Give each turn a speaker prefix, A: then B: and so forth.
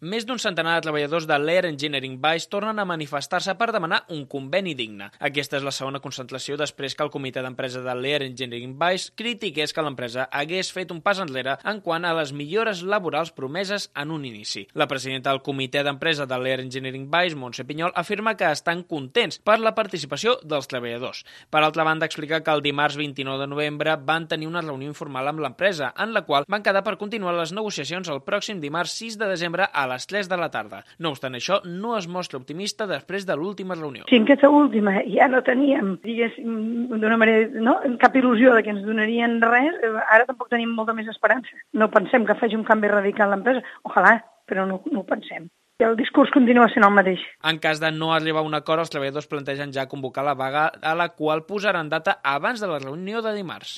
A: Més d'un centenar de treballadors de l'Air Engineering Vice tornen a manifestar-se per demanar un conveni digne. Aquesta és la segona concentració després que el comitè d'empresa de l'Air Engineering Vice critiqués que l'empresa hagués fet un pas enrere en quant a les millores laborals promeses en un inici. La presidenta del comitè d'empresa de l'Air Engineering Vice, Montse Pinyol, afirma que estan contents per la participació dels treballadors. Per altra banda, explica que el dimarts 29 de novembre van tenir una reunió informal amb l'empresa, en la qual van quedar per continuar les negociacions el pròxim dimarts 6 de desembre a les 3 de la tarda. No obstant això, no es mostra optimista després de l'última reunió.
B: Si en aquesta última ja no teníem, diguéssim, d'una manera, no, cap il·lusió de que ens donarien res, ara tampoc tenim molta més esperança. No pensem que faci un canvi radical a l'empresa. Ojalà, però no ho pensem. El discurs continua sent el mateix.
A: En cas de no arribar a un acord, els treballadors plantegen ja convocar la vaga a la qual posaran data abans de la reunió de dimarts.